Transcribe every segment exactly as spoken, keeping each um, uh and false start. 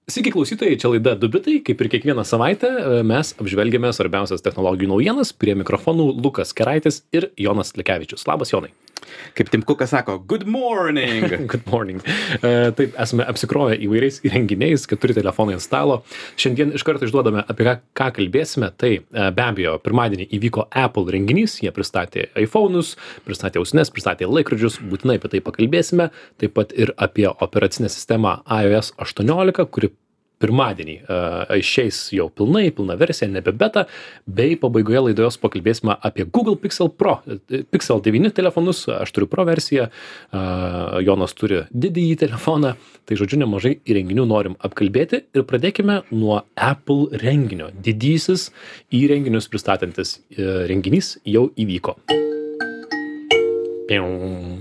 Sveiki klausytojai, čia laida Du bitai, kaip ir kiekvieną savaitę mes apžvelgiame svarbiausias technologijų naujienas, prie mikrofonų Lukas Keraitis ir Jonas Lekevičius. Labas, Jonai. Kaip Tim Cookas sako, good morning. Good morning. E, taip, esame apsikrovę įvairiais įrenginiais, keturi telefonai ant stalo. Šiandien iš karto išduodame, apie ką, ką kalbėsime. Tai e, be abejo, pirmadienį įvyko Apple renginys, jie pristatė iPhone'us, pristatė ausines, pristatė laikrodžius, būtinai apie tai pakalbėsime. Taip pat ir apie operacinę sistemą iOS aštuoniolika, kuri pirmadienį uh, išeis jau pilnai, pilna versija, nebe beta, bei pabaigoje laidos pakalbėsime apie Google Pixel Pro, Pixel devyni telefonus, aš turiu Pro versiją, uh, Jonas turi didįjį telefoną, tai žodžiu nemažai įrenginių norim apkalbėti ir pradėkime nuo Apple renginio. Didysis įrenginius pristatantis uh, renginys jau įvyko. Pium.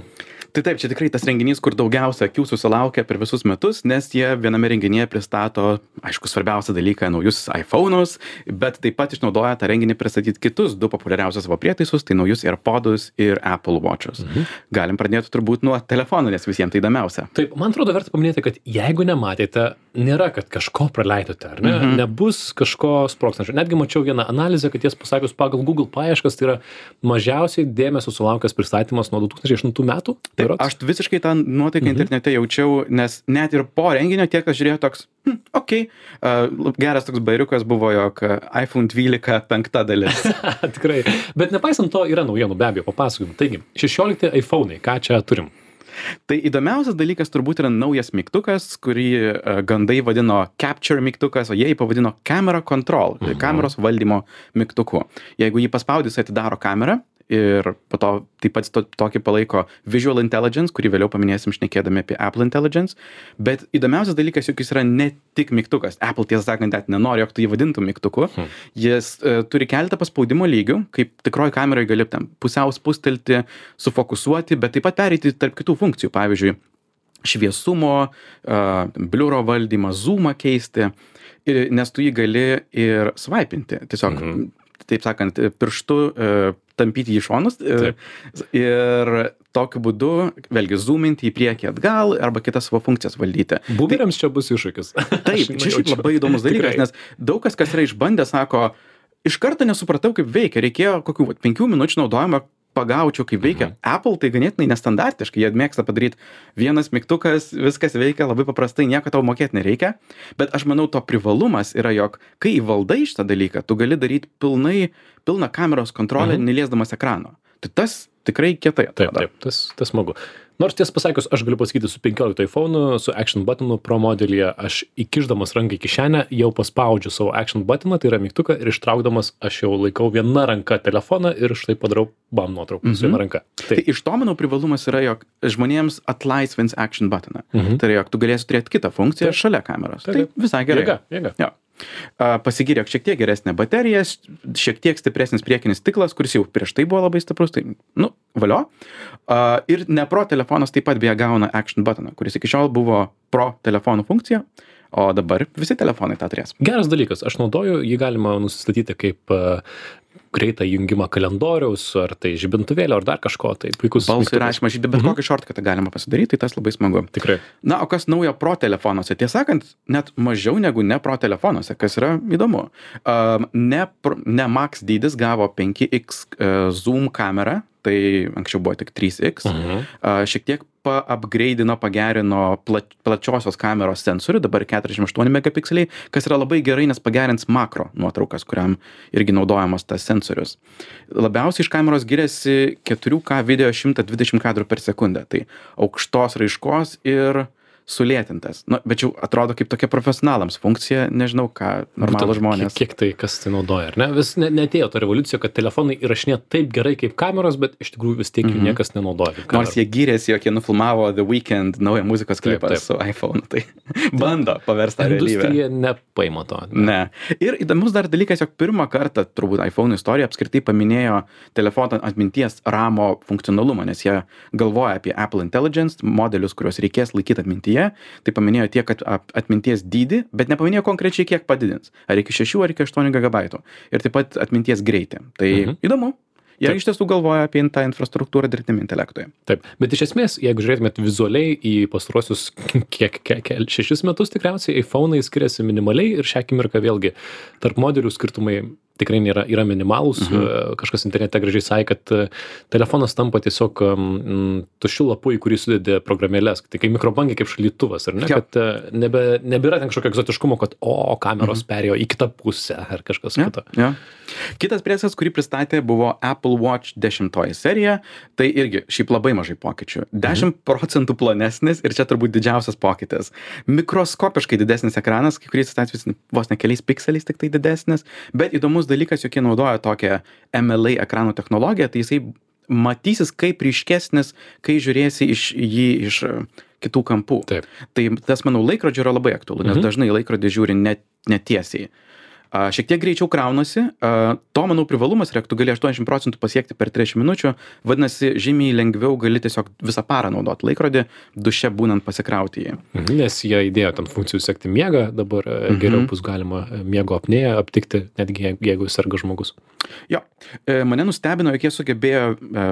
Tai taip, čia tikrai tas renginys, kur daugiausia akių susilaukia per visus metus, nes jie viename renginyje pristato, aišku, svarbiausią dalyką, naujus iPhone'us, bet taip pat išnaudoja tą renginį pristatyti kitus du populiariausius savo prietaisus, tai naujus AirPodus ir Apple Watch'us. Mhm. Galim pradėti turbūt nuo telefonų, nes visiems tai įdomiausia. Taip, man atrodo, verta paminėti, kad jeigu nematėte, nėra, kad kažko praleidote, ar ne? Mhm. Nebus kažko sprogstančio. Netgi mačiau vieną analizę, kad ties pasakius pagal Google paieškas, tai yra mažiausiai dėmesio sulaukęs pristatymas nuo du tūkstančiai aštuntų metų. Taip, aš visiškai tą nuotaiką mhm. internete jaučiau, nes net ir po renginio tie, kas žiūrėjo toks, hm, okei, okay. uh, geras toks bairiukas buvo, jog iPhone dvylika penkta dalis. Tikrai, bet nepaisant to yra naujienų, be abejo, papasakojimu. Taigi, šešiolikti iPhone'ai, ką čia turim? Tai įdomiausias dalykas turbūt yra naujas mygtukas, kurį uh, gandai vadino Capture mygtukas, o jie jį pavadino Camera Control, mhm. kameros valdymo mygtuku. Jeigu jį paspaudys, atidaro kamerą, ir po to taip pat to, tokį palaiko Visual Intelligence, kurį vėliau paminėsim šnekėdami apie Apple Intelligence, bet įdomiausias dalykas, jog jis yra ne tik mygtukas. Apple, tiesą sakant, net nenori, jog tu jį vadintum mygtuku. Hmm. Jis uh, turi keletą paspaudimo lygių, kaip tikroji kameroje gali tam pusiau spustelti, sufokusuoti, bet taip pat pereiti tarp kitų funkcijų, pavyzdžiui, šviesumo, uh, bliuro valdymą, zoomą keisti, ir, nes tu jį gali ir swipinti, tiesiog, hmm. taip sakant, pirštu uh, tampyti į šonus ir, ir tokiu būdu, vėlgi, zoominti į priekį atgal arba kitas savo funkcijas valdyti. Boomeriams tai, čia bus iššūkis. Taip, čia šiaip labai įdomus dalykas, nes daug kas, kas yra išbandę, sako, iš karto nesupratau, kaip veikia, reikėjo kokių vat, penkių minučių naudojimo pagaučiau, kaip veikia. Mhm. Apple tai ganėtinai nestandartiškai, jie mėgsta padaryti vienas mygtukas, viskas veikia labai paprastai, nieko tau mokėti nereikia, bet aš manau, to privalumas yra, jog kai įvaldai šitą dalyką, tu gali daryti pilnai, pilną kameros kontrolę, mhm. neliesdamas ekrano. Tai tas tikrai kietai atrodo. Taip, taip, tas, tas smagu. Nors tiesą pasakius, aš galiu pasakyti su penkioliktu iPhone'u, su Action buttonu Pro modelyje, aš įkišdamas ranką į kišenę jau paspaudžiu savo Action buttoną, tai yra mygtuką, ir ištraukdamas aš jau laikau viena ranka telefoną ir štai padarau bam nuotrauką mm-hmm. su viena ranka. Taip. Tai iš to, manau, privalumas yra, jog žmonėms atlaisvins Action buttoną. Mm-hmm. Tai yra, jog tu galėsi turėti kitą funkciją taip. Šalia kameros. Taip, tai visai gerai. Jėga, jėga. Jo. Pasigyrė šiek tiek geresnė baterija, šiek tiek stipresnis priekinis stiklas, kuris jau prieš tai buvo labai stiprus, tai, nu, valio. Ir ne Pro telefonas taip pat beje gauna Action buttoną, kuris iki šiol buvo Pro telefonų funkcija, o dabar visi telefonai tą turės. Geras dalykas, aš naudoju, jį galima nusistatyti kaip uh, greitą jungimą kalendoriaus, ar tai žibintuvėlio, ar dar kažko, tai puikus. Balsų įrašymą žibintuvėlio, bet mm-hmm. kokį shortcutą galima pasidaryti, tai tas labai smagu. Tikrai. Na, o kas naujo Pro telefonuose? Tiesą sakant, net mažiau negu ne Pro telefonuose, kas yra įdomu. Uh, ne, ne Max dydis gavo penki iks uh, zoom kamerą, tai anksčiau buvo tik trys iks. Uh-huh. Uh, šiek tiek paupgradeino, pagerino pla, plačiosios kameros sensorių, dabar keturiasdešimt aštuoni megapikseliai, kas yra labai gerai, nes pagerins makro nuotraukas, kuriam irgi naudojamas tas sensorius. Labiausiai iš kameros giriasi keturi K video šimtas dvidešimt kadrų per sekundę, tai aukštos raiškos ir sulėtintas. Na, bet jau atrodo kaip tokia profesionalams funkcija, nežinau ką normalų žmonės. Kiek, kiek tai, kas tai naudoja, ar ne? Vis ne, netėjo ta revoliucija, kad telefonai įrašinė taip gerai kaip kameros, bet iš tikrųjų vis tiek jų mm-hmm. niekas nenaudoja. Nors jie gyrėsi, jog jie nufilmavo The Weeknd naują muzikos klipą taip, taip. Su iPhone, tai bando paversti tą realybę. Industrija nepaima to. Ne. ne. Ir įdomus dar dalykas, jog pirmą kartą, turbūt iPhone istorija apskritai paminėjo telefono atminties ramo funkcionalumą, nes jie galvoja apie Apple Intelligence modelius, kuriuos reikės laikyti atmintyje. Tai paminėjo tiek atminties dydį, bet nepaminėjo konkrečiai kiek padidins. Ar iki šešių, ar iki aštuonių gigabaitų. Ir taip pat atminties greitį. Tai mhm. įdomu. Jie iš tiesų galvoja apie tą infrastruktūrą dirbtiniam intelektui. Taip, bet iš esmės, jeigu žiūrėtumėt vizualiai į pastaruosius kiek, kiek, kiek šešis metus tikriausiai, iPhone'ai skiriasi minimaliai ir šią akimirką vėlgi tarp modelių skirtumai tikrai nėra, yra minimalūs. Mhm. Kažkas internete gražiai sakė, kad telefonas tampa tiesiog um, tuščiu lapu, į kurį sudėdė programėlės. Tai kai mikrobangė kaip šaldytuvas, ar ne? Ja. Kad nebe, nebėra ten kažkokio egzotiškumo, kad o, kameros mhm. perėjo į kitą pusę ar kažkas ja. kito. Ja. Kitas prietaisas, kurį pristatė, buvo Apple Watch dešimtoji serija. Tai irgi šiaip labai mažai pokyčių. dešimt procentų plonesnis ir čia turbūt didžiausias pokytis. Mikroskopiškai didesnis ekranas, kai kuriais atvejais vos ne keliais pikseliais tik tai didesnis, bet įdomus dalykas, jog jie naudoja tokią M L A ekranų technologiją, tai jisai matysis kaip ryškesnis, kai žiūrėsi iš jį iš kitų kampų. Taip. Tai tas, manau, laikrodžio yra labai aktualu, nes mhm. dažnai laikrodį žiūri net, netiesiai. A, šiek tiek greičiau kraunasi, a, to, manau, privalumas yra, tu gali aštuoniasdešimt procentų pasiekti per trisdešimt minučių, vadinasi, žymiai lengviau gali tiesiog visą parą naudoti laikrodį, duše būnant pasikrauti jį. Mhm, nes jie įdėjo tam funkcijų sekti miegą, dabar mhm. geriau bus galima miego apnėją aptikti, netgi jeigu serga žmogus. Jo, e, mane nustebino, jog jie sugebėjo e,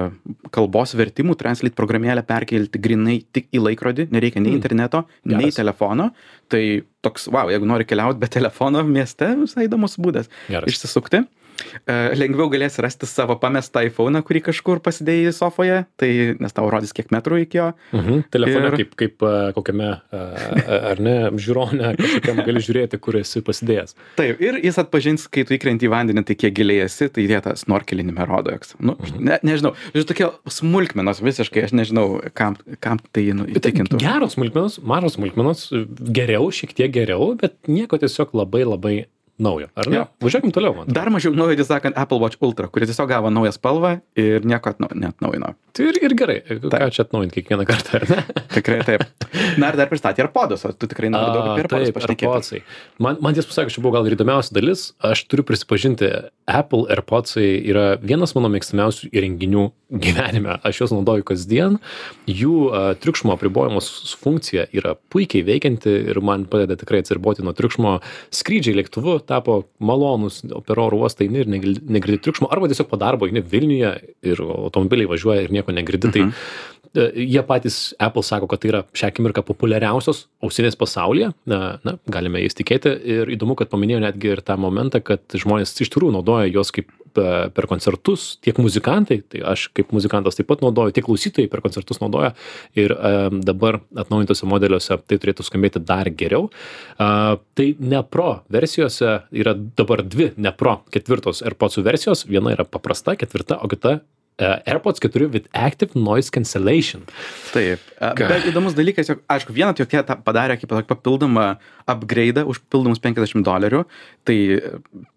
kalbos vertimų Translate programėlę perkelti grinai tik į laikrodį, nereikia nei interneto, mm. nei telefono, tai toks, wow, jeigu nori keliauti be telefono mieste, visai įdomus būdas Geras. Išsisukti. Uh, lengviau galėsi rasti savo pamestą iPhone'ą, kurį kažkur pasidėjai sofoje, tai nes tau rodys kiek metrų iki jo. Mhm. Telefone ir... kaip, kaip uh, kokiame, uh, ar ne, žiūrone, kažkokiam gali žiūrėti, kur esi pasidėjęs. Taip, ir jis atpažins, kai tu įkrenti į vandenį, tai kiek giliai esi, tai jie tą snorkelinimą rodo. Nu, mhm. ne, nežinau, žinau, tokie smulkmenos visiškai, aš nežinau, kam, kam tai nu, įtikintų. Geros smulkmenos, mažos smulkmenos, geriau, šiek tiek geriau, bet nieko tiesiog labai labai naujo, ar ne? Ja. Važiuokim toliau, man. Dar mažiau naujo, tai sakant, Apple Watch Ultra, kuris tiesiog gavo naują spalvą ir nieko atnau, neatnaujino. Tai ir, ir gerai, ką čia atnaujinti kiekvieną kartą, ar ne? Tikrai taip. Na ir dar pristatė AirPodus, o tu tikrai nori daug apie AirPodus pašnekėti. Man, man tiesą pasakius, čia buvo gal ir įdomiausia dalis, aš turiu prisipažinti, Apple AirPodsai yra vienas mano mėgstamiausių įrenginių gyvenime. Aš juos naudoju kasdien, jų uh, triukšmo apribojimos funkcija yra puikiai veikianti ir man padeda tikrai atsiriboti nuo triukšmo. Skrydžiai lėktuvu tapo malonus, per oro uostą eini ir negirdi triukšmo, arba tiesiog po darbo eini Vilniuje ir automobiliai važiuoja ir nieko negirdi. Mhm. Tai jie patys, Apple sako, kad tai yra šią akimirką populiariausios ausinės pasaulyje, na, na, galime jais tikėti ir įdomu, kad paminėjo netgi ir tą momentą, kad žmonės iš tikrųjų naudoja juos kaip per koncertus, tiek muzikantai, tai aš kaip muzikantas taip pat naudoju, tiek klausytojai per koncertus naudoja ir um, dabar atnaujintose modeliuose tai turėtų skambėti dar geriau. Uh, tai ne Pro versijose yra dabar dvi ne Pro ketvirtos AirPodsų versijos, viena yra paprasta, ketvirta, o kita Uh, AirPods keturi with active noise cancellation. Taip, uh, bet įdomus dalykas, jog, aišku, vieną tokie padarė kaip papildomą upgrade'ą už pildomus penkiasdešimt dolerių, tai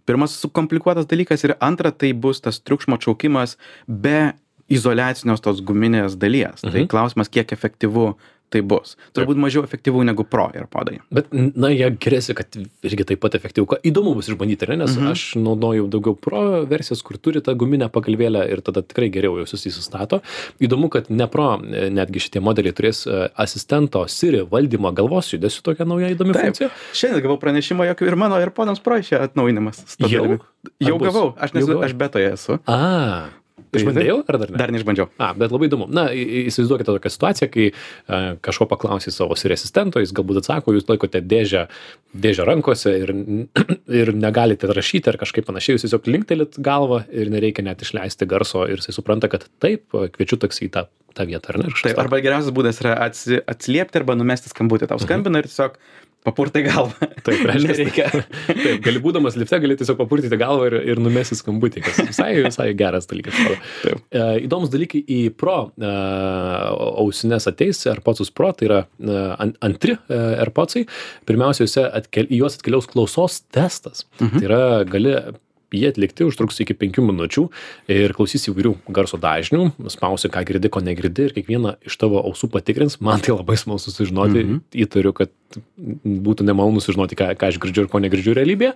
pirmas sukomplikuotas dalykas ir antra, tai bus tas triukšmo atšaukimas be izoliacinios tos guminės dalies. Mhm. Tai klausimas, kiek efektyvu tai bus. Turbūt mažiau efektyvų negu Pro AirPodai. Bet, na, jie geriasi, kad irgi taip pat efektyvų. Įdomu bus išbandyti, ne? Nes mhm. aš naudoju daugiau Pro versijas, kur turi tą guminę pagalvėlę ir tada tikrai geriau jau susistato. Įdomu, kad ne Pro, netgi šitie modeliai turės asistento Siri valdymą galvos judesiu, tokia nauja įdomi taip. Funkcija. Šiandien gavau pranešimą, jog ir mano AirPodams Pro išėjo atnaujinimas. Jau? Jau gavau, aš, nesu, aš betoje esu. A. Išbandėjau ar dar ne? Dar neišbandžiau. A, bet labai įdomu. Na, įsivaizduokite tokią situaciją, kai uh, kažko paklausai savo Siri asistento, jis galbūt atsako, jūs laikote dėžę, dėžę rankose ir, ir negalite rašyti ar kažkaip panašiai, jūs tiesiog linktelit galvą ir nereikia net išleisti garso ir jisai supranta, kad taip, kviečiu taksi į tą, tą vietą, ar ne? Taip, arba geriausias būdas yra atsi, atsiliepti arba numesti skambutį. Tau skambina mhm. ir tiesiog papurtai galvą. Taip, reiškia. Taip, gali būdamas lifte, gali tiesiog papurtyti galvą ir, ir numesti skambutį, kas visai, visai geras dalykas. E, įdomus dalykai į Pro e, ausines ateis, AirPodsus Pro, tai yra e, antri e, AirPodsai. Pirmiausia, atkel, į juos atkeliaus klausos testas. Mhm. Tai yra, gali jie atlikti, užtruks iki penkių minučių ir klausys įvairių garso dažnių, spausi, ką girdi, ko negirdi ir kiekvieną iš tavo ausų patikrins. Man tai labai smalsu sužinoti, mm-hmm. įtariu, kad būtų nemalonu sužinoti, ką, ką aš girdžiu ir ko negirdžiu realybėje.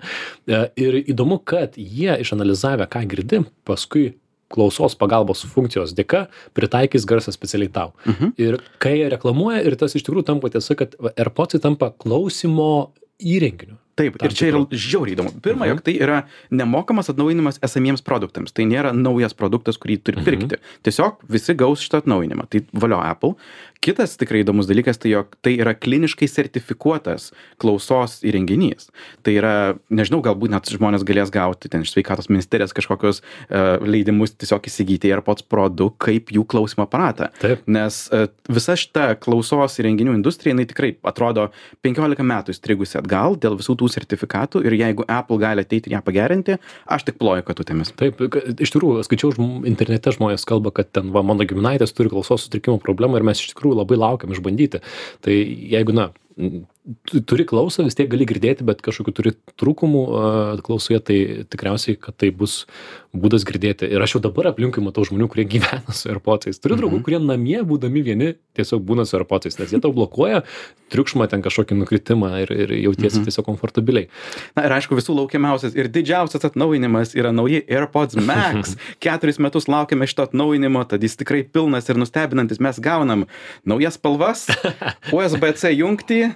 Ir įdomu, kad jie išanalizavę, ką girdi, paskui klausos pagalbos funkcijos dėka pritaikys garsą specialiai tau. Mhm. Ir kai jie reklamuoja, ir tas iš tikrųjų tampa tiesa, kad AirPodsai tampa klausimo įrenginiu. Taip, Tam ir čia yra tikru. žiauriai įdomu. Pirma, Mhm. jog tai yra nemokamas atnaujinimas esamiems produktams. Tai nėra naujas produktas, kurį turi pirkti. Tiesiog visi gaus šitą atnaujinimą. Tai valio Apple. Kitas tikrai įdomus dalykas, tai jog tai yra kliniškai sertifikuotas klausos įrenginys. Tai yra, nežinau, galbūt net žmonės galės gauti ten iš sveikatos ministerijos kažkokius uh, leidimus tiesiog įsigyti AirPods Pro du kaip jų klausymo aparatą. Taip. Nes uh, visa šita klausos įrenginių industrija, jinai tikrai atrodo penkiolika metų įstrigusi atgal dėl visų tų sertifikatų ir jeigu Apple gali ateiti ir ją pagerinti, aš tik ploju katutėmis. Taip, ka- iš tikrųjų, skaičiau žm- internete žmonės kalba, kad ten va, mano giminaitės turi klausos sutrikimo problemą ir mes iš tikrųjų labai laukiam išbandyti. Tai jeigu, na, tu turi klausą, vis tiek gali girdėti, bet kažkokių turi trūkumų uh, klausoje, tai tikriausiai, kad tai bus būdas girdėti. Ir aš jau dabar aplinkui matau žmonių, kurie gyvena su AirPods'ais. Turiu draugų, kurie namie, būdami vieni, tiesiog būna su AirPods'ais, nes jie tau blokuoja triukšmą, ten kažkokį nukritimą ir, ir jautiesi Mhm. tiesiog komfortabiliai. Na ir aišku, visų laukiamiausias ir didžiausias atnaujinimas yra nauji AirPods Max. Keturis metus laukiame šito atnaujinimo, tad jis tikrai pilnas ir nustebinantis. Mes gaunam naujas spalvas, U S B C jungtį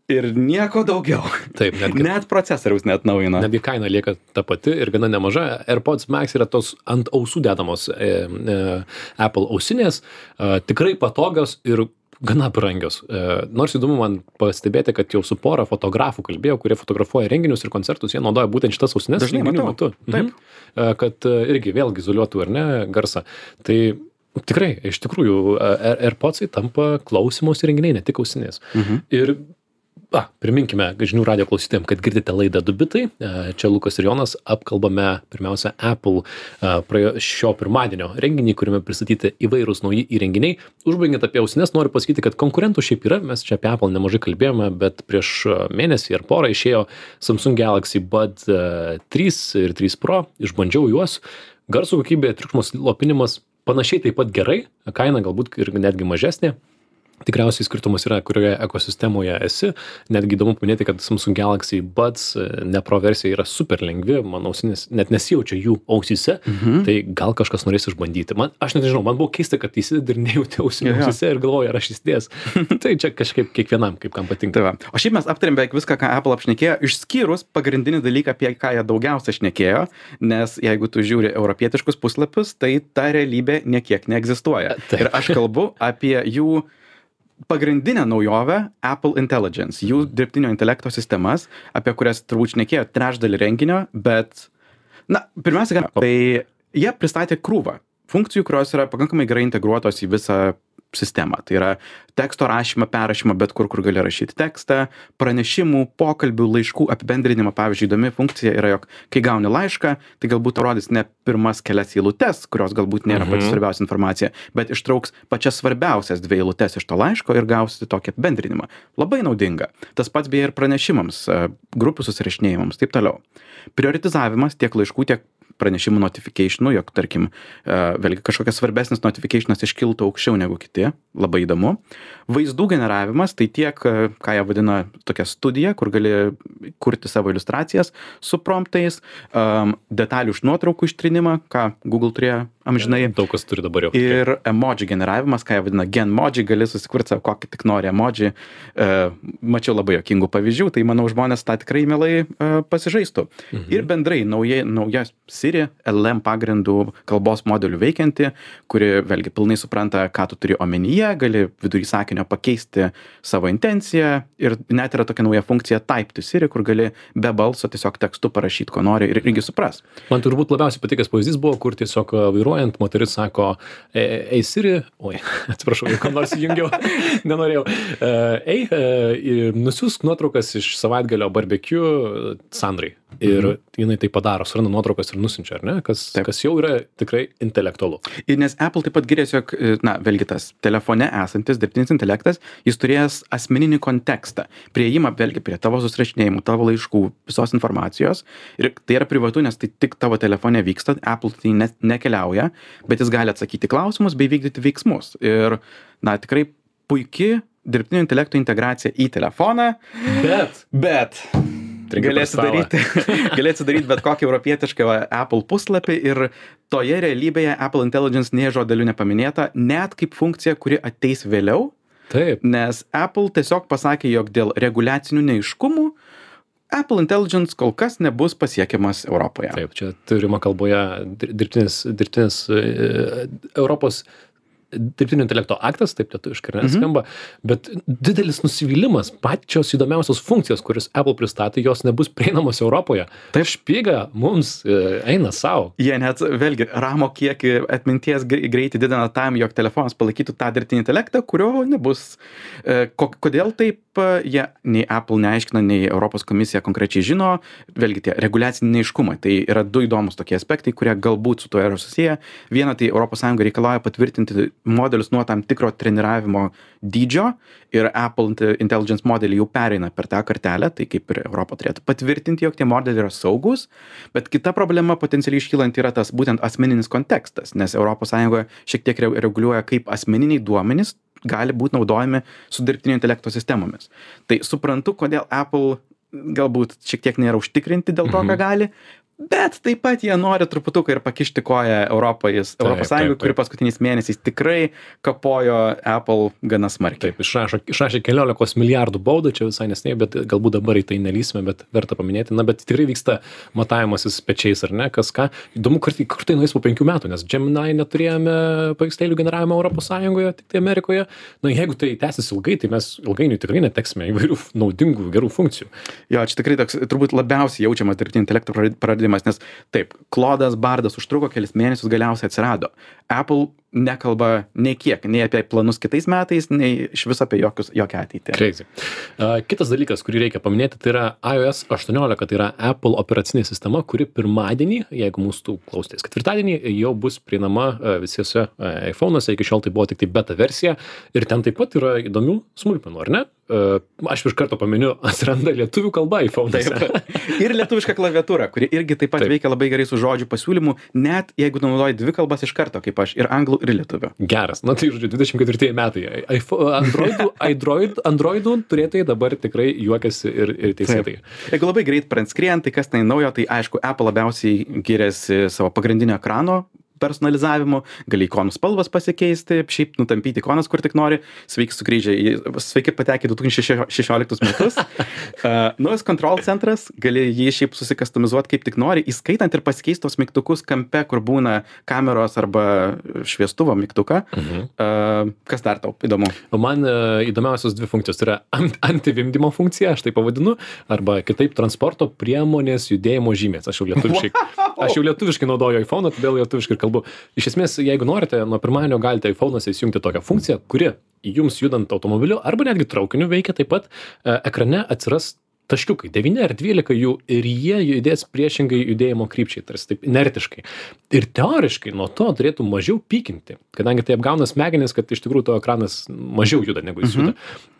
ir nieko daugiau. Taip, netgi Net procesoriaus neatnaujina. Netgi kaina lieka ta pati ir gana nemaža. AirPods Max yra tos ant ausų dedamos e, e, Apple ausinės, e, tikrai patogios ir gana brangios. E, nors įdomu man pastebėti, kad jau su pora fotografų kalbėjau, kurie fotografuoja renginius ir koncertus, jie naudoja būtent šitas ausinės Dažnai renginių matau. metu. Mhm. E, kad e, irgi vėlgi izoliuotų ar ne garsą. Tai tikrai, iš tikrųjų, e, AirPodsai tampa klausymosi renginiai, ne tik ausinės. Mhm. Ir A, priminkime žinių radijo klausytėm, kad girdite laidą du bitai. Čia Lukas ir Jonas apkalbame pirmiausia Apple praėjo šio pirmadienio renginį, kuriame pristatyti įvairūs nauji įrenginiai. Užbaigiant apie ausines, noriu pasakyti, kad konkurentų šiaip yra, mes čia apie Apple nemažai kalbėjome, bet prieš mėnesį ar porą išėjo Samsung Galaxy Bud trys ir trys Pro, išbandžiau juos. Garso kokybė, triukšmo slopinimas panašiai taip pat gerai, kaina galbūt ir netgi mažesnė. Tikriausiai skirtumas yra, kurioje ekosistemoje esi. Netgi įdomu paminėti, kad Samsung Galaxy Buds ne Pro versija yra super lengvi, man ausinės net nesijaučia jų ausyse, Mhm. tai gal kažkas norės išbandyti. Man, aš net nežinau, man buvo keista, kad įsidedi ir nejauti ausinė Jo, jo. ausyse ir galvoju, ar aš įsidės. Tai čia kažkaip kiekvienam, kaip kam patinka. Tai va. O šiaip mes aptarėm beveik viską, ką Apple apšnekėjo, išskyrus pagrindinį dalyką, apie ką jie daugiausia šnekėjo, nes jeigu tu žiūri europietiškus puslapius, tai ta realybė niekiek neegzistuoja. Taip. Ir aš kalbu apie jų pagrindinę naujovę Apple Intelligence, jų dirbtinio intelekto sistemas, apie kurias turbūt šnekėjo trečdalį renginio, bet, na, pirmiausia, tai jie pristatė krūvą funkcijų, kurios yra pakankamai gerai integruotos į visą sistemą. Tai yra teksto rašymą, perrašymą, bet kur, kur gali rašyti tekstą, pranešimų, pokalbių, laiškų apibendrinimą. Pavyzdžiui, įdomi funkcija yra, jog kai gauni laišką, tai galbūt tau rodys ne pirmas kelias eilutes, kurios galbūt nėra Mhm. pati svarbiausia informacija, bet ištrauks pačias svarbiausias dvi eilutes iš to laiško ir gausi tokį apibendrinimą. Labai naudinga. Tas pats beje ir pranešimams, e, grupių susirašinėjimams, taip toliau. Prioritizavimas tiek laiškų, tiek pranešimų notificationų, jog, tarkim, e, vėlgi kažkokias svarbesnis notificationas iškiltų aukščiau negu kiti, labai įdomu. Vaizdų generavimas, tai tiek, e, ką jie vadina tokia studija, kur gali kurti savo iliustracijas su promptais, um, detalių iš nuotraukų ištrinimą, ką Google turėjo amžinai. Daug kas turi dabar jau. Ir emoji generavimas, ką jie vadina genmoji, gali susikurti savo kokį tik nori emoji. E, mačiau labai jokingų pavyzdžių, tai manau žmonės tą tikrai mielai e, pasižaistų. Mhm. Ir bendrai nauja, nauja Siri L M pagrindų kalbos modelių veikianti, kuri vėlgi pilnai supranta, ką tu turi omenyje, gali vidury sakinio pakeisti savo intenciją ir net yra tokia nauja funkcija Type to Siri, kur gali be balso tiesiog tekstu parašyti, ko nori ir irgi supras. Man turbūt labiausiai patikęs pavyzdys buvo, kur tiesiog vairuojant moteris sako, "E- ei Siri, oi, atsiprašau, jeigu ką nors įjungiau, nenorėjau, E, ei, e, nusiųsk nuotraukas iš savaitgalio barbecue Sandrai. Ir Mhm. jinai tai padaro, suranda nuotraukas ir nusinčia, ar ne? Kas, Taip. kas jau yra tikrai intelektualu. Ir nes Apple taip pat giriasi, jog, e, na, vėlgi tas telefone esantis dirbtinis intelektas, jis turės asmeninį kontekstą, prieimą vėlgi prie tavo susirašinėjimų, tavo laiškų, visos informacijos. Ir tai yra privatu, nes tai tik tavo telefone vyksta, Apple tai ne, nekeliauja, bet jis gali atsakyti klausimus bei vykdyti veiksmus. Ir, na, tikrai puiki dirbtinio intelekto integracija į telefoną, Bet. bet Trinka galėsi per stalą. daryti, galėsi daryti bet kokį europietišką Apple puslapį ir toje realybėje Apple Intelligence nė žodeliu nepaminėta, net kaip funkcija, kuri ateis vėliau, Taip. nes Apple tiesiog pasakė, jog dėl reguliacinių neiškumų Apple Intelligence kol kas nebus pasiekiamas Europoje. Taip, čia turima kalboje dir- dirbtinis, dirbtinis e, Europos dirbtinio intelekto aktas, taip lietuviškai ar ne skamba, bet didelis nusivylimas, pačios įdomiausios funkcijos, kuris Apple pristatė, jos nebus prieinamos Europoje. Taip. Špyga mums e, eina savo. Jie net, vėlgi, ramo kiekį atminties grei- greitį didina tam, jog telefonas palaikytų tą dirbtinį intelektą, kurio nebus. E, ko- Kodėl taip e, jie nei Apple neaiškina, nei Europos komisija konkrečiai žino, vėlgi tie reguliaciniai neiškumai. Tai yra du įdomus tokie aspektai, kurie galbūt su tuo yra susiję. Viena, tai Europos Sąjunga reikalauja patvirtinti modelius nuo tam tikro treniravimo dydžio ir Apple Intelligence modeliai jau pereina per tą kartelę, tai kaip ir Europa turėtų patvirtinti, jog tie modeliai yra saugus, bet kita problema potencialiai iškylant yra tas būtent asmeninis kontekstas, nes Europos Sąjungoje šiek tiek re- reguliuoja, kaip asmeniniai duomenys gali būti naudojami su dirbtinio intelekto sistemomis. Tai suprantu, kodėl Apple galbūt šiek tiek nėra užtikrinti dėl to, ką gali, bet taip pat jie nori truputuką ir pakišti koją Europai, Europos Sąjungai, taip, kuri taip. paskutiniais mėnesiais tikrai kapojo Apple gana smarkiai. Taip, išrašo, išrašė keliolikos milijardų baudą, čia visai nesnei, bet galbūt dabar į tai nelysime, bet verta paminėti. Na, bet tikrai vyksta matavimasis pečiais, ar ne, kas ką. Įdomu, kur, kur tai nueis po penkių metų, nes Gemini neturėjome paveikslėlių generavimo Europos Sąjungoje, tik tai Amerikoje. Na, jeigu tai tęsis ilgai, tai mes ilgainiui tikrai neteksime įvairių naudingų, gerų funkcijų. Jo, čia tikrai toks turbūt labiausiai jaučiamas dirbtinio intelekto praradimas, nes taip, Claude'as, Bardas užtruko kelis mėnesius, galiausiai atsirado. Apple nekalba nei kiek, nei apie planus kitais metais, nei iš viso apie jokius, jokią ateitį. Crazy. Uh, kitas dalykas, kurį reikia paminėti, tai yra iOS aštuoniolika, tai yra Apple operacinė sistema, kuri pirmadienį, jeigu mūsų klausotės ketvirtadienį, jau bus prieinama uh, visiuose uh, iPhone'uose, iki šiol tai buvo tik tai beta versija ir ten taip pat yra įdomių smulkmenų, ar ne? Uh, aš iš karto paminiu, atsiranda lietuvių kalba iPhone'uose. Ir lietuviška klaviatūra, kuri irgi taip pat Taip. veikia labai gerai su žodžių pasiūlymu, net jeigu naudoji dvi kalbas iš karto, kaip aš, ir anglų, ir lietuvių. Geras. Na tai, žodžiu, dvidešimt ketvirtieji metai. iPhone- Androidų, Android, Androidų turėtojai dabar tikrai juokiasi ir, ir teisėtai. Jeigu labai greit pranskrient, tai kas tai naujo, tai aišku, Apple labiausiai giriasi savo pagrindinio ekrano personalizavimu, gali ikonų spalvas pasikeisti, šiaip nutampyti ikonas, kur tik nori. Sveiki sugrįžę, į- sveiki patekę į du tūkstančiai šešioliktus metus. Uh, Naujas control centras, gali jį šiaip susikastomizuoti kaip tik nori, įskaitant ir pasikeisti tos mygtukus kampe, kur būna kameros arba šviestuvo mygtuką. Mhm. Uh, kas dar tau įdomu? O man e, įdomiausios dvi funkcijos. Tai yra ant- antivimdymo funkcija, aš tai pavadinu, arba kitaip transporto priemonės judėjimo žymės. Aš jau lietuviškai, aš jau lietuviškai naudoju iPhone, todėl lietuviškai ir kalbu. Iš esmės, jeigu norite, nuo pirmadienio galite iPhone'uose įsijungti tokią funkciją, kuri jums judant automobiliu arba netgi traukiniu veikia taip pat, e, ekrane atsiras taškiukai, devyni ar dvylika jų ir jie judės priešingai judėjimo krypčiai, tarsi taip inertiškai. Ir teoriškai nuo to turėtų mažiau pykinti, kadangi tai apgauna smegenis, kad iš tikrųjų to ekranas mažiau juda negu jis juda.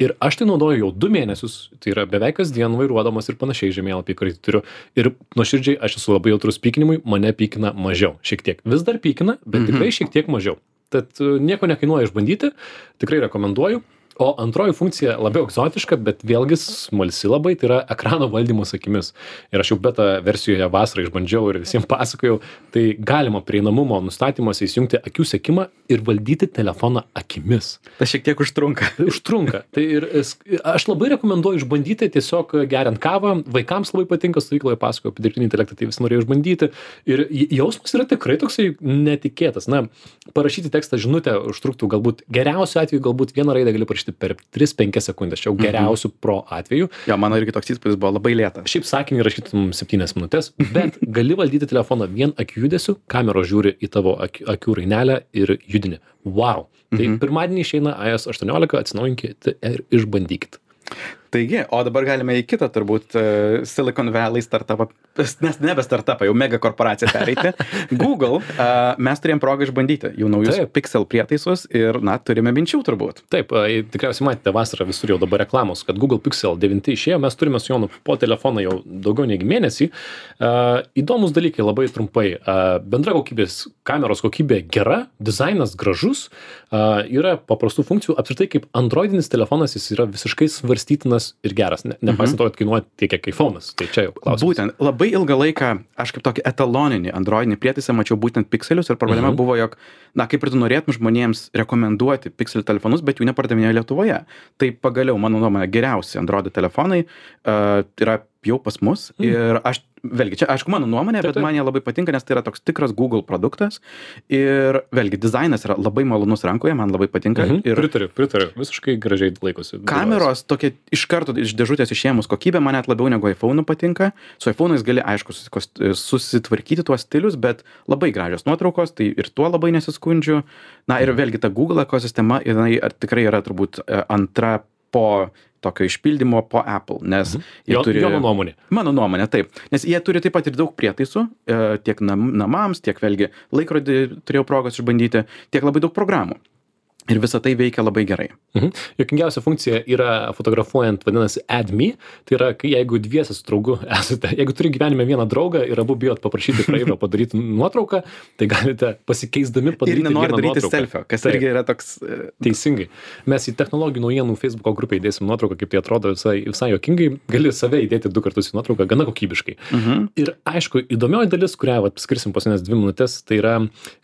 Ir aš tai naudoju jau du mėnesius, tai yra beveik kasdien vairuodamas ir panašiai žemėlapį, kurį turiu. Ir nuoširdžiai aš esu labai jautrus pykinimui, mane pykina mažiau. Šiek tiek. Vis dar pykina, bet tikrai šiek tiek mažiau. Tad e, nieko nekainuoja išbandyti, tikrai rekomenduoju. O antroji funkcija labiau egzotiška, bet vėlgi smalsi labai, tai yra ekrano valdymas akimis. Ir aš jau beta versijoje vasarą išbandžiau ir visiems pasakojau, tai galima prieinamumo nustatymuose įsijungti akių sekimą ir valdyti telefoną akimis. Tas šiek tiek užtrunka. Tai užtrunka. Tai ir es- aš labai rekomenduoju išbandyti tiesiog geriant kavą. Vaikams labai patinka, stovykloje pasakoju apie dirbtinį intelektą, tai visi norėjo išbandyti. Ir j- jausmas yra tikrai toksai netikėtas. Na, parašyti tekstą žinutę užtruktų galbūt geriausiu atveju, galbūt vieną raidę gali parašyti per tris penkias sekundės. Čia jau geriausių pro atveju. Jo, mano irgi toks įspūdis buvo labai lėtas. Šiaip sakinį rašytum septynias minutės, bet gali valdyti telefoną vien akių judesiu, kameros žiūri į tavo akių, akių rainelę ir judini. Wow. Tai pirmadienį išeina iOS aštuoniolika, atsinaujinkite ir išbandykit. Taigi, o dabar galime į kitą turbūt e, Silicon Valley startupą, nes nebe startupą, jau mega korporaciją pereiti. Google, e, mes turėjom progą išbandyti jų naujus Taip. Pixel prietaisus ir, na, turime minčių turbūt. Taip, e, tikriausiai matėte vasarą visur jau dabar reklamos, kad Google Pixel devyni išėjo, mes turime su Jonu po telefoną jau daugiau negi mėnesį. E, Įdomus dalykai, labai trumpai. E, Bendra kokybės, kameros kokybė gera, dizainas gražus, e, yra paprastų funkcijų, apskritai kaip androidinis telefonas jis yra visiškai svarstytinas ir geras, ne, nepaisant to, kad kainuoja tiek, kiek iPhone'as. Tai čia jau klausimas. Būtent, labai ilgą laiką aš kaip tokį etaloninį androidinį prietaisą mačiau būtent Pixelius ir problema Mhm. buvo, jog, na, kaip ir tu norėtum žmonėms rekomenduoti Pixel telefonus, bet jų nepardavinėjo Lietuvoje. Tai pagaliau, mano nuomonė, geriausi Android telefonai uh, yra jau pas mus Mm. ir aš, vėlgi, čia aišku mano nuomonė, Taip, bet taip. man jie labai patinka, nes tai yra toks tikras Google produktas ir vėlgi, dizainas yra labai malonus rankoje, man labai patinka. Mhm. Ir Pritariu, pritariu. Visiškai gražiai laikosi. kameros tokia iš karto iš dėžutės išėmus kokybė man net labiau negu iPhone'u patinka. Su iPhone'ais gali, aišku, susikos- susitvarkyti tuos stilius, bet labai gražios nuotraukos, tai ir tuo labai nesiskundžiu. Na ir vėlgi ta Google ekosistema, jinai ar- tikrai yra turbūt e, antra po tokio išpildymo po Apple, nes jie Jo, turi... jo nuomonė. Mano nuomonė, taip. Nes jie turi taip pat ir daug prietaisų, e, tiek nam, namams, tiek vėlgi laikrodį turėjau progos išbandyti, tiek labai daug programų. Ir visa tai veikia labai gerai. Mhm. Jokingiausia funkcija yra fotografuojant, vadinasi Add Me. Tai yra, kai jeigu dviese su draugu esate, jeigu turi gyvenime vieną draugą ir abu bijot paprašyti praeivio padaryti nuotrauką, tai galite pasikeisdami Ir padaryti nenori vieną daryti nuotrauką. selfio, kas Taip. irgi yra toks... e, Teisingai. Mes į technologijų naujienų Facebooko grupę įdėsim nuotrauką, kaip tai atrodo visai, visai jokingai. Gali save įdėti du kartus į nuotrauką, gana kokybiškai. Mhm. Ir aišku, įdomioji dalis, kurią vat, skirsim paskutinės dvi minutės, tai yra,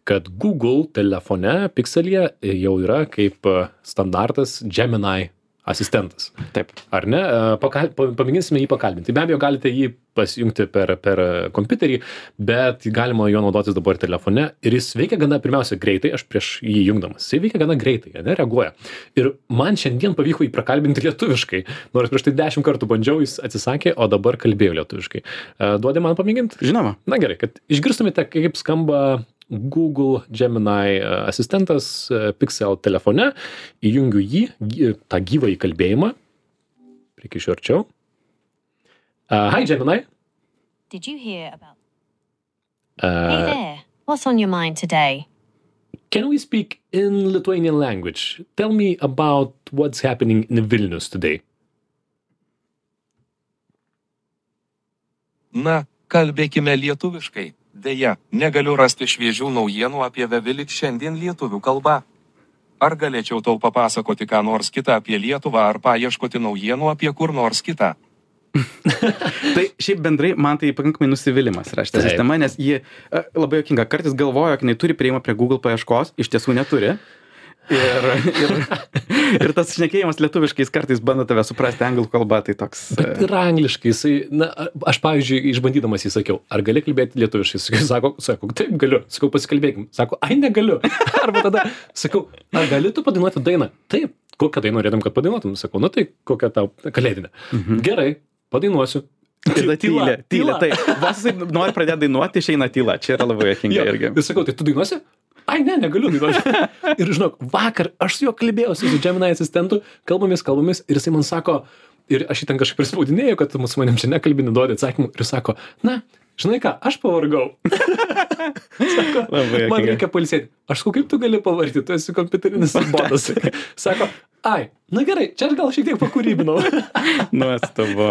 kad Google telefone, Pixelyje jau yra kaip e, standartas Gemini asistentas. Taip. Ar ne? E, Pakal, pa- pamėginsime jį pakalbinti. Be abejo, galite jį pasijungti per, per kompiuterį, bet galima jo naudotis dabar telefone ir jis veikia gana, pirmiausia, greitai, aš prieš jį jungdamas. Jis veikia gana greitai, ne, reaguoja. Ir man šiandien pavyko jį prakalbinti lietuviškai. Nors prieš tai dešimt kartų bandžiau, jis atsisakė, o dabar kalbėjo lietuviškai. E, Duodi man pamėginti? Žinoma. Na gerai, kad išgirstumėte, kaip skamba Google Gemini e, asistentas e, Pixel telefone, įjungiu jį, gy- tą gyvą įkalbėjimą. Prikišiu arčiau. Uh, hi Gemini. Did you hear about... Uh, Hey there, what's on your mind today? can we speak in Lithuanian language? Tell me about what's happening in Vilnius today. Na, kalbėkime lietuviškai. Deja, negaliu rasti šviežių naujienų apie Vevilik šiandien lietuvių kalba. Ar galėčiau tau papasakoti ką nors kitą apie Lietuvą ar paieškoti naujienų apie kur nors kitą? Tai šiaip bendrai man tai pakankamai nusivylimas yra šitą Taip. sistemą, nes ji e, labai jokinga. Kartais galvoja, kad jinai turi prieimą prie Google paieškos, iš tiesų neturi. Ir, ir, ir tas šnekėjimas lietuviškais kartais bando tave suprasti anglų kalbą, tai toks... Bet ir angliškai, jisai, na, aš pavyzdžiui, išbandydamas jį sakiau, ar gali kalbėti lietuviškai? Sakiau, Sako, sako, taip galiu. Sakau, pasikalbėkim. Sako, ai negaliu. Arba tada sakau, ar gali tu padainuoti dainą? Taip. Kokią dainą norėtum, kad padainuotum? Sakau, nu tai kokią tau kalėdinę. Mhm. Gerai, padainuosiu. Ir tada tylė, tylė, tai vos jisai nori pradėti dainuoti, išeina tyla. Čia yra labai jokinga Jo, irgi. ir sakau, tai tu dainuosi? Ai, ne, negaliu dainuoti. Ir žinok, vakar aš su juo kalbėjausi, su Gemini asistentu, kalbomis, kalbomis, ir jisai man sako, ir aš jį ten kažkaip prispaudinėjau, kad mus manim čia nekalbini, duodi atsakymų, ir sako, na, žinai ką, aš pavargau. Sako, Labai man juokinga. reikia pailsėti. Aš sakau, kaip tu gali pavargti, tu esi kompiuterinis botas. Sako, ai, na gerai, čia aš gal šiek tiek pakūrybinau. Nuostabu.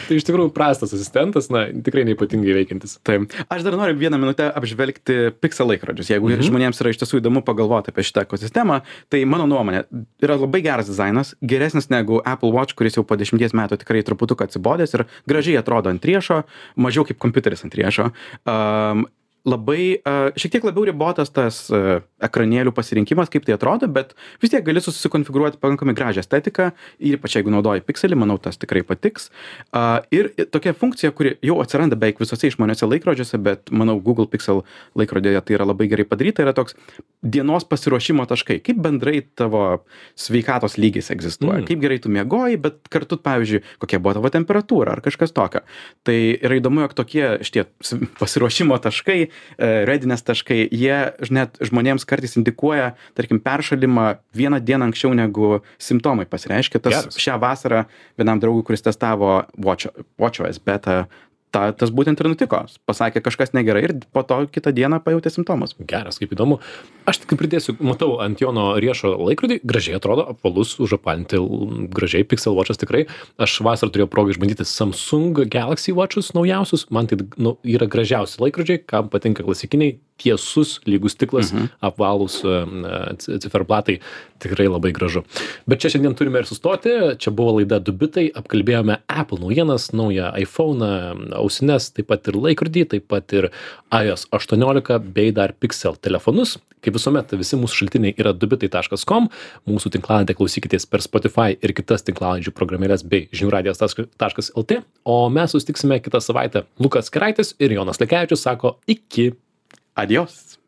Tai iš tikrųjų prastas asistentas, na, tikrai neipatingai veikiantis. Taip. Aš dar noriu vieną minutę apžvelgti Pixel laikrodžius. Jeigu Mhm. žmonėms yra iš tiesų įdomu pagalvoti apie šitą ekosistemą, tai mano nuomonė yra labai geras dizainas, geresnis negu Apple Watch, kuris jau po dešimties metų tikrai truputuką atsibodęs ir gražiai atrodo ant riešo, mažiau kaip kompiuteris ant riešo. Um, labai, uh, šiek tiek labiau ribotas tas uh, ekranėlių pasirinkimas, kaip tai atrodo, bet vis tiek gali susikonfigūruoti pakankamai gražią estetiką, ir ypač jeigu naudoji Pixelį, manau, tas tikrai patiks. Uh, ir tokia funkcija, kuri jau atsiranda beveik visose išmaniuose laikrodžiuose, bet manau, Google Pixel laikrodėje tai yra labai gerai padaryta, yra toks dienos pasiruošimo taškai, kaip bendrai tavo sveikatos lygis egzistuoja, Mm. kaip gerai tu miegoji, bet kartu, pavyzdžiui, kokia buvo tavo temperatūra ar kažkas tokio. Tai yra įdomu, jog tokie šitie s- pasiruošimo taškai, readiness taškai, jie net žmonėms kartais indikuoja, tarkim, peršalimą vieną dieną anksčiau negu simptomai pasireiškia. Tas Geras. šią vasarą vienam draugui, kuris testavo Watch, WatchOS beta, ta, tas būtent ir nutiko. Pasakė kažkas negerai ir po to kitą dieną pajutė simptomus. Geras, kaip įdomu. Aš tik pridėsiu, matau ant Jono riešo laikrodį, gražiai atrodo, apvalus, užapalinti, l- gražiai, Pixel Watchas tikrai. Aš vasarą turėjau progą išbandyti Samsung Galaxy Watchus naujausius, man tai nu, yra gražiausi laikrodžiai, kam patinka klasikiniai, tiesus, lygus stiklas, mhm. apvalūs ciferblatai, tikrai labai gražu. Bet čia šiandien turime ir sustoti, čia buvo laida du bitai, apkalbėjome Apple naujienas, naują iPhone, ausines, taip pat ir laikrodį, taip pat ir iOS aštuoniolika bei dar Pixel telefonus. Kaip visuomet, visi mūsų šaltiniai yra du bitai taškas com, mūsų tinklalaidę klausykitės per Spotify ir kitas tinklalaidžių programėlės bei žinių radijas taškas lt, o mes susitiksime kitą savaitę. Lukas Keraitis ir Jonas Lekevičius sako iki. Adios.